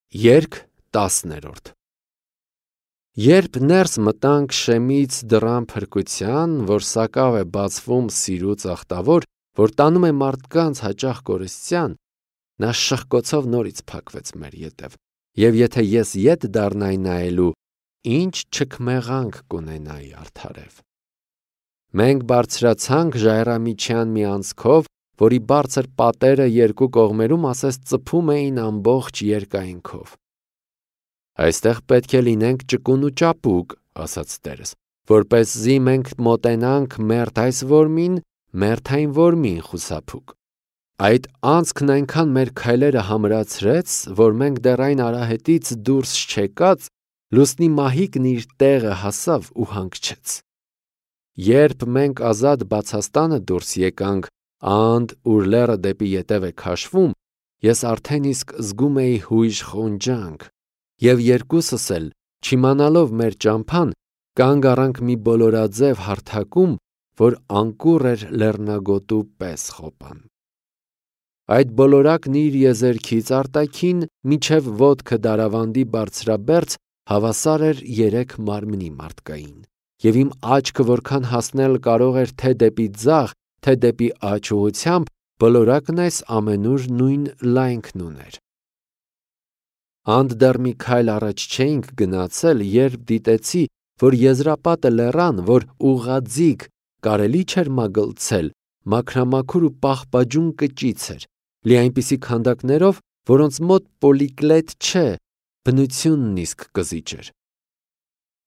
Երգ 10-րդ Երբ ներս մտանք Շեմից դռան փրկության, որ սակավ է բացվում սիրուց աղտավոր, որ տանում է մարդկանց հաճախ կորստյան, նա շխկոցով նորից փակվեց մեր ետև, և եթե ես ետ դառնայի նայելու, ինչ չքմեղանք կունենայի արդարև։ Մենք բարձրացանք ժայռամիջյան մի անցքով, որի բարձր պատերը երկու կողմերում ասես ծփում էին ամբողջ երկայնքով։ Այստեղ պետք է լինենք ճկուն ու ճապուկ, ասաց տերս, որպեսզի մենք մոտենանք մերթ այս որմին, մերթ այն որմին խուսափուկ։ Այդ անցքն այնքան մեր քայլերը համրացրեց, որ մենք դեռ այն արահետից դուրս չեկած, լուսնի մահիկն իր տեղը հասավ ու հանգչեց։ Երբ մենք ազատ բացաստանը դուրս եկանք, анд ուր լեռը դեպի ետև է քաշվում, ես արդեն իսկ զգում էի հույժ խոնջանք, և երկուսս էլ, չիմանալով մեր ճամփան, կանգ առանք մի բոլորաձև հարթակում, որ անկուռ էր լեռնագոտու պես խոպան։ Այդ բոլորակն իր եզերքից արտաքին մինչև ոտքը դարավանդի բարձրաբերձ հավասար էր 3 մարմնի մարդկային, և իմ աչքը որքան հասնել կարող էր թե դեպի ձախ, թե դեպի աջ ուղղությամբ, բոլորակն այս ամենուր նույն լայնքն ուներ։ Анд դեռ մի քայլ առաջ չէինք գնացել, երբ դիտեցի, որ եզրապատը լեռան, որ ուղղաձիգ կարելի չէր մագլցել, մաքրամաքուր ու պաղպաջուն կճիծ էր, լի այնպիսի քանդակներով, որոնց մոտ պոլիկլետ չէ, բնությունն իսկ կզիջ էր։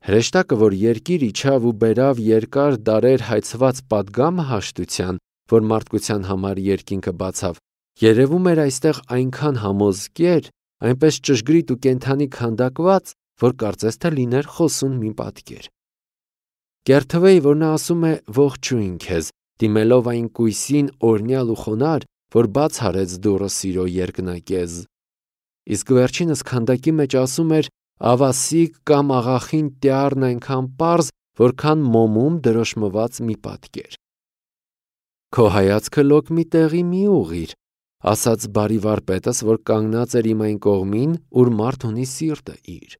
Հրեշտակը, որ երկիր իջավ ու բերավ երկար դարեր հայցված պատգամը հաշտության, որ մարդկության համար երկինքը բացավ, երևում էր այստեղ այնքան համոզկեր, այնպես ճշգրիտ ու կենդանի քանդակված, որ կարծես թե լիներ խոսուն մի պատկեր։ Կերթվեի, որ նա ասում է ողջույն քեզ, դիմելով այն կույսին օրհնյալ ու խոնարհ, որ բաց արեց դուռը սիրո երկնակեզ։ Իսկ վերջինս քանդակի մեջ ասում էր ավասիկ կամ աղախին տյառն այնքան պարզ, որքան մոմում դրոշմված մի պատկեր։ Քո հայացքը լոկ մի տեղի մի ուղղիր, ասաց բարի վարպետս, որ կանգնած էր իմ այն կողմին, ուր մարդ ունի սիրտը իր։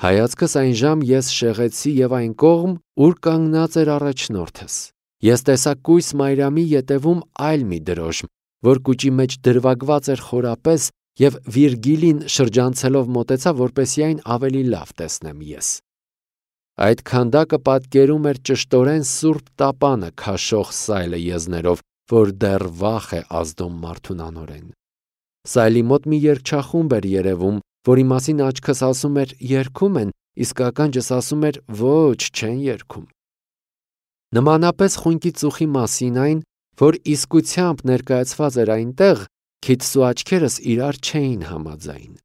Հայացքս այնժամ ես շեղեցի և այն կողմ, ուր կանգնած էր առաջնորդս։ Ես տեսա կույս Մայրամի ետևում այլ մի դրոշմ, որ կուճի մեջ դրվագված էր խորապես, և Վիրգիլին շրջանցելով մոտեցա, որպեսզի այն ավելի լավ տեսնեմ ես։ Այդ քանդակը պատկերում էր ճշտորեն Սուրբ Տապանը քաշող սայլը եզներով, որ դեռ վախ է ազդում մարդուն անօրեն։ Սայլի մոտ մի երգչախումբ էր երևում, որի մասին աչքս ասում էր երգում են, իսկ ականջս ասում էր ոչ, չեն երգում։ Նմանապես խունկի ծուխի մասին այն, որ իսկությամբ ներկայացված էր այնտեղ, քիթս ու աչքերս իրար չէին համաձայն։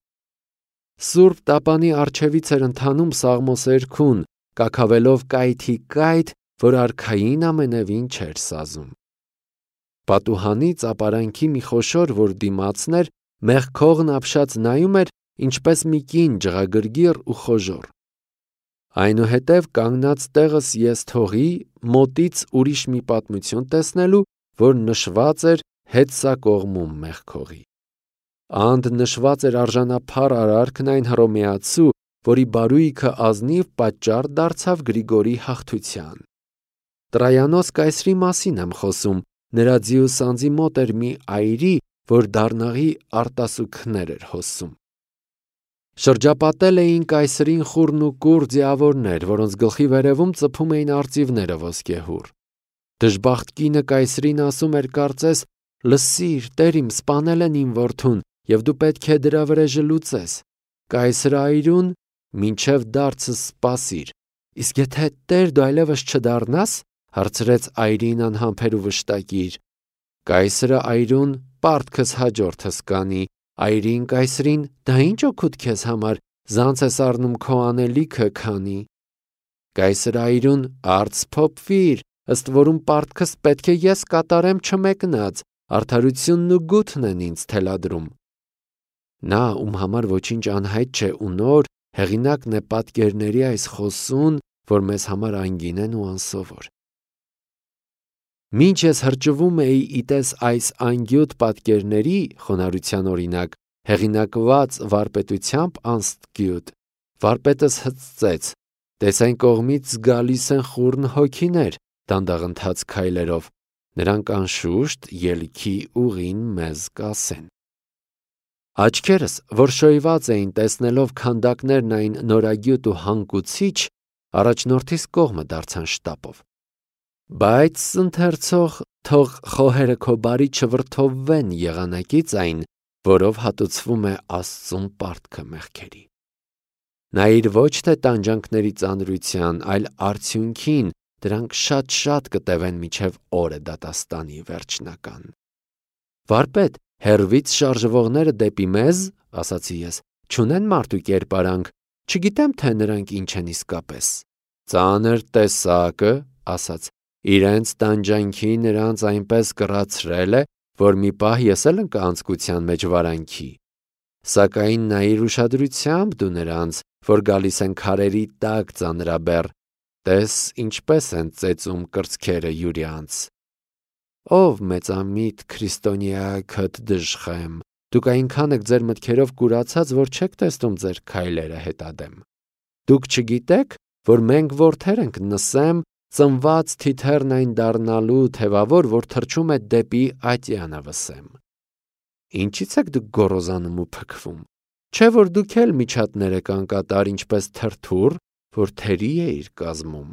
Սուրբ Տապանի առջևից էր ընթանում Սաղմոսերգուն, կաքավելով կայթի կայթ, որ արքային ամենևին չէր սազում։ Պատուհանից ապարանքի մի խոշոր, որ դիմացն էր, մեղքողն ապշած նայում էր, ինչպես մի կին ջղագրգիռ ու խոժոռ։ Այնուհետև կանգնած տեղս ես թողի մոտից ուրիշ մի պատմություն տեսնելու, որ նշված էր Հեծա կողմում մեղքողի։ Анд նշված էր արժանափառ արարքն այն հռոմեացու, որի բարույքը ազնիվ պատճառ դարձավ Գրիգորի հաղթության։ Տրայանոս կայսրի մասին եմ խոսում, նրա ձիուս անձի մոտ էր մի այրի, որ դառնաղի արտասուքներ էր հոսում։ Շրջապատել էին կայսրին խուռն ու կուռ ձիավորներ, որոնց գլխի վերևում ծփում էին արծիվները ոսկեհուռ։ Դժբախտ կինը կայսրին ասում էր կարծես. «Լսիր, տեր իմ, սպանել են իմ որդուն, և դու պետք է դրա վրեժը լուծես։ Կայսրը այրուն, մինչև դարձս սպասիր»։ Իսկ եթե տեր դու այլևս չդառնաս, հարցրեց այրին անհամբեր ու վշտակիր։ Կայսրը այրուն պարտքս հաջորդս կանի։ Այրին կայսրին. «Դա ինչ օգուտ քեզ համար, զանց ես առնում քո անելիքը քանի»։ Կայսրը այրուն. «Արդ սփոփվիր, ըստ որում պարտքս պետք է ես կատարեմ չմեկնած, արդարությունն ու գութն են ինձ թելադրում»։ Նա, ում համար ոչինչ անհայտ չէ ու նոր, հեղինակն է պատկերների այս խոսուն, որ մեզ համար անգին են ու անսովոր։ Մինչ ես հրճվում էի իտես այս անգյուտ պատկերների, խոնարհության օրինակ, հեղինակված վարպետությամբ անստկյուտ, վարպետս հծծեց, տես այն կողմից գալիս են խուռն հոգիներ, դանդաղընթաց քայլերով, նրանք անշուշտ ելքի ուղին մեզ կասեն։ Աչքերս, որ շոյված էին տեսնելով քանդակներն այն նորագյուտ ու հանգուցիչ, առաջնորդիս կողմը դարձան շտապով։ Բայց ընթերցող թող խոհերը քո բարի չվրդովվեն եղանակից այն, որով հատուցվում է Աստծուն պարտքը մեղքերի։ Նայիր ոչ թե տանջանքների ծանրության, այլ արդյունքին, դրանք շատ կտևեն մինչև օրը դատաստանի վերջնական։ Վարպետ, հեռվից շարժվողները դեպի մեզ, ասացի ես, չունեն մարդու կերպարանք, չգիտեմ, թե նրանք ինչ են իսկապես։ Ծանր տեսակը, ասաց, իրենց տանջանքի նրանց այնպես կռացրել է, որ մի պահ ես էլ ընկա անձկության մեջ վարանքի։ Սակայն նայիր ուշադրությամբ դու նրանց, որ գալիս են քարերի տակ ծանրաբեռ, տես ինչպես են ծեծում կրծքերը յուրյանց։ Ով մեծամիտ քրիստոնյա քդ դժխեմ, դուք այնքան եք ձեր մտքերով կուրացած, որ չեք տեսնում ձեր քայլերը հետադեմ։ Դուք չգիտեք, որ մենք որդեր ենք Նսեմ, ծնված թիթեռն այն դառնալու թևավոր, որ թռչում է դեպի ատյանը վսեմ։ Ինչից եք դուք գոռոզանում ու փքվում։ Չէ՞ որ դուք էլ միջատներ եք անկատար, ինչպես թրթուռ, որ թերի է իր կազմում։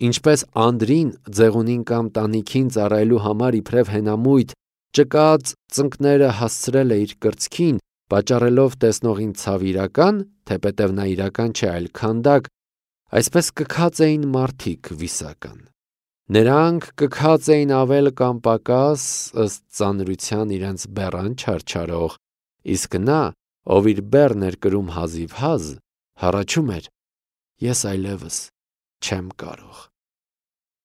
Ինչպես անդրին ձեղունին կամ տանիքին ծառայելու համար իբրև հենամույթ ճկած ծնկները հասցրել է իր կրծքին, պատճառելով տեսնողին ցավ իրական, թեպետև նա իրական չէ, այլ քանդակ, այսպես կքած էին մարդիկ վիսական։ Նրանք կքած էին ավել կամ պակաս, ըստ ծանրության իրենց բեռան չարչարող, իսկ նա, ով իր բեռն էր կրում հազիվ հազ, հառաչում էր. ես այլևս չեմ կարող։